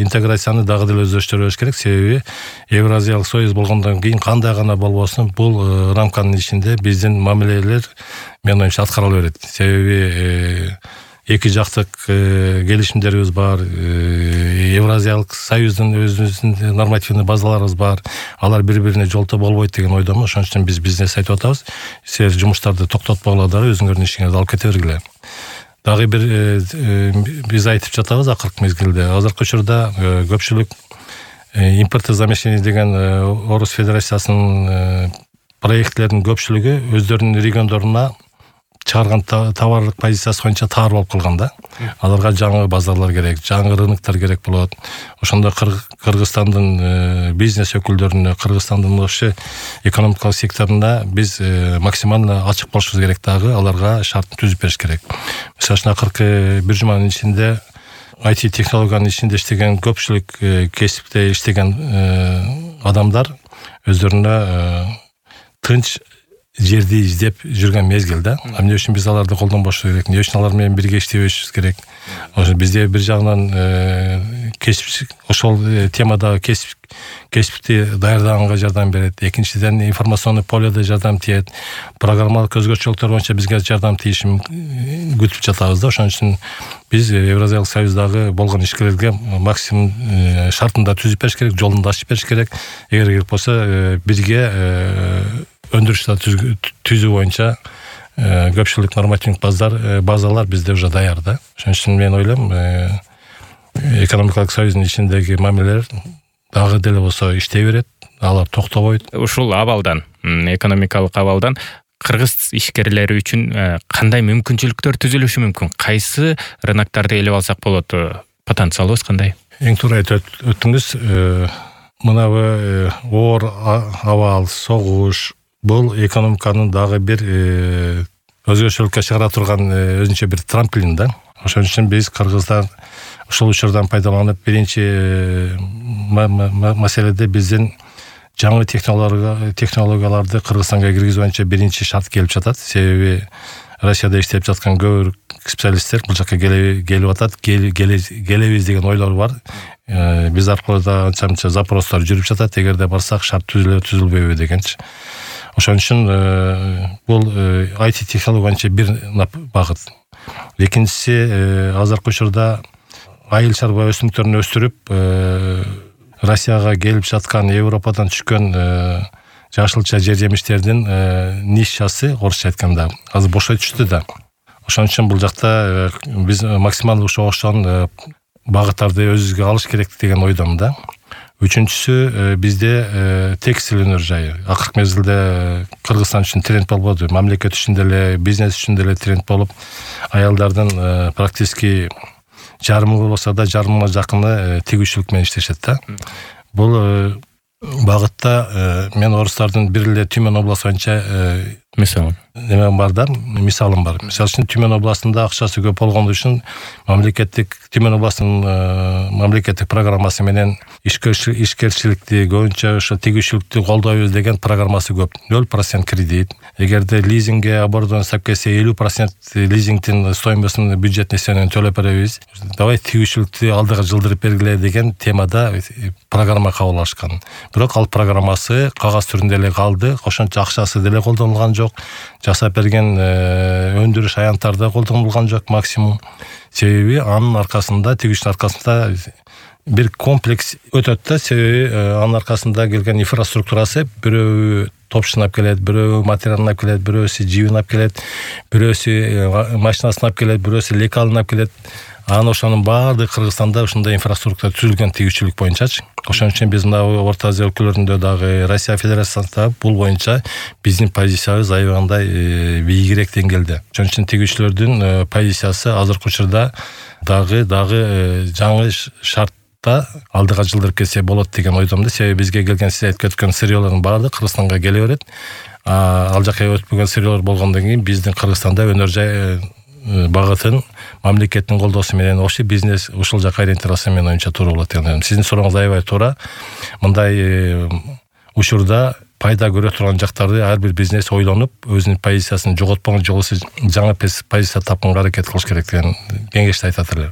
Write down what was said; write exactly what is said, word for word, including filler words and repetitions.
интеграцияны дагы деле өздөштүрүш керек. Себеби Евразиялык союз болгондон кийин кандай гана болбосун бул рамканын ичинде биздин мамилелер менин оюмча аткарыла берет. Себеби эки жактык келишимдерибиз бар, Евразиялык союздун өзүбүздүн нормативный базаларыбыз бар. Алар бири-бирине жолто болбойт деген ойдомун. Ошон үчүн биз бизнес айтып атабыз. Силер жумуштарды токтотпогула дагы өзүңөрдүн ишиңерди алып кете бергиле. Дагы бир биз айтып жатабыз акыркы мезгилде. Азыркы учурда көпчүлүк импортозамещение деген Орус Федерациясынын проектлердин көпчүлүгү өздөрүнүн региондоруна чыгарган товарлык позициясы боюнча таар болуп калган да. Аларга жаңы базарлар керек, жаңы рыноктор керек болот. Ошондо Кыргызстандын бизнес өкүлдөрүнө, Кыргызстандын ошо экономикалык секторунда биз максимально ачык болушубуз керек дагы, аларга шартын түзүп бериш керек. Мисалы үчүн акыркы бир жуманын ичинде ай ти технологиянын ичинде иштеген көпчүлүк кесипте иштеген адамдар өздөрүнө тынч жерди издеп жүргөн мезгил да. Эмне үчүн биз аларды колдонбош керек? Эмне үчүн алар менен бирге иштебешибиз керек? Ошо бизде бир жагынан кесип ошол темада кесип кесипти даярдаганга жардам берет. Экинчиден информационный поледе жардам тиет. Программалык өзгөчөлүктөр боюнча бизге жардам тийишин күтүп жатабыз да. Ошон үчүн биз Евразиялык союздагы болгон ишкерлерге максимум шартында түзүп бериш керек, жолун ачып бериш керек. Эгер керек болсо бирге өндүрүштү түзүү боюнча көпчүлүк нормативдик базалар базалар бизде уже даяр да. Ошон үчүн мен ойлойм, экономикалык союздун ичиндеги мамилелер дагы деле болсо иштей берет, алар токтобойт. Ушул абалдан, экономикалык абалдан кыргыз ишкерлери үчүн кандай мүмкүнчүлүктөр түзүлүшү мүмкүн? Кайсы рыноктарды ээлеп алсак болот? Потенциалыбыз кандай? Эң туура айтып өттүңүз. Мынабы оор абал, согуш бул экономиканын дагы бир өзгөчөлүккө чыгара турган өзүнчө бир трамплин да. Ошон үчүн биз кыргыздар ушул учурдан пайдаланып, биринчи маселеде биздин жаңы технологияларды Кыргызстанга киргизүү боюнча биринчи шарт келип жатат. Себеби Россияда иштеп жаткан көбүрөөк специалисттер бул жакка келип атат, келебиз деген ойлор бар. Биз аркылуу да анча-мынча запростор жүрүп жатат. Эгерде барсак шарт түзүлө түзүлбөйбү дегенчи. Ошон үчүн бул ай ти технология боюнча бир багыт. Экинчиси, азыркы учурда айыл чарба өсүмдүктөрүн өстүрүп, Россияга келип жаткан, Европадан түшкөн жашылча жер жемиштердин нишасы, орусча айтканда, азыр бошой түштү да. Ошон үчүн бул жакта биз максималдуу ошон багыттарды өзүбүзгө алыш керек деген ойдомун да. Үчүнчүсү, бизде текстиль өнөр жайы. Акыркы мезгилде Кыргызстан үчүн тренд болбоду, мамлекет үчүн деле, бизнес үчүн деле тренд болуп, аялдардын практически жарымы болсо да жарымга жакыны тигүүчүлүк менен иштешет да. Бул багытта мен орустардын бир эле Түмөн областы боюнча мисалы неме бар да, мисалым бар. Мисалы үчүн Түмөн областында акчасы көп болгон үчүн мамлекеттик Түмөн областынын мамлекеттик программасы менен ишкерчиликти, көбүнчө ошо тигүүчүлүктү колдойбуз деген программасы көп. ноль процент кредит. Эгерде лизингге оборудование сап келсе элүү процент лизингдин стоимостун бюджет несиенен төлөп беребиз. Давай тигүүчүлүктү алдыга жылдырып бергиле деген темада программа кабыл алышкан. Бирок ал программасы кагаз түрүндө эле калды. Ошончо акчасы деле колдонулган жок. Жасап берген өндүрүш аянттарда колдонулган жок максимум. Себеби анын аркасында, тигүүчүнүн аркасында бир комплекс өтөт да. Себеби анын аркасында келген инфраструктурасы бирөө топшунап келет, бирөө материалын алып келет, бирөөсү жибин алып келет, бирөөсү машинасын алып келет, бирөөсү лекалын алып келет. Анан ошонун баардыгы Кыргызстанда ушундай инфраструктура түзүлгөн тигүүчүлүк боюнчачы. Ошон үчүн биз мына Орто Азия өлкөлөрүндө дагы, Россия Федерациясында бул боюнча биздин позициябыз аябагандай бийигирээк деңгээлде. Ошон үчүн тигүүчүлөрдүн позициясы азыркы учурда дагы дагы жаңы шартта алдыга жылдырып кетсе болот деген ойдомун. Себеби бизге келген сиз айтып кеткен сырьёлордун баардыгы Кыргызстанга келе берет. Ал жака өтпөгөн сырьёлор болгондон кийин биздин Кыргызстанда өнөр жай багытын мамлекеттин колдоосу менен ошо бизнес ушул жака ориентироваться менен оюнча туура болот деп ойлойм. Сиздин сурооңуз аябай туура. Мындай учурда пайда көрө турган жактарды ар бир бизнес ойлонуп, өзүнүн позициясын жоготпогон жолусу жаңы позиция тапканга аракет кылыш керек деген кеңешти айтат эле.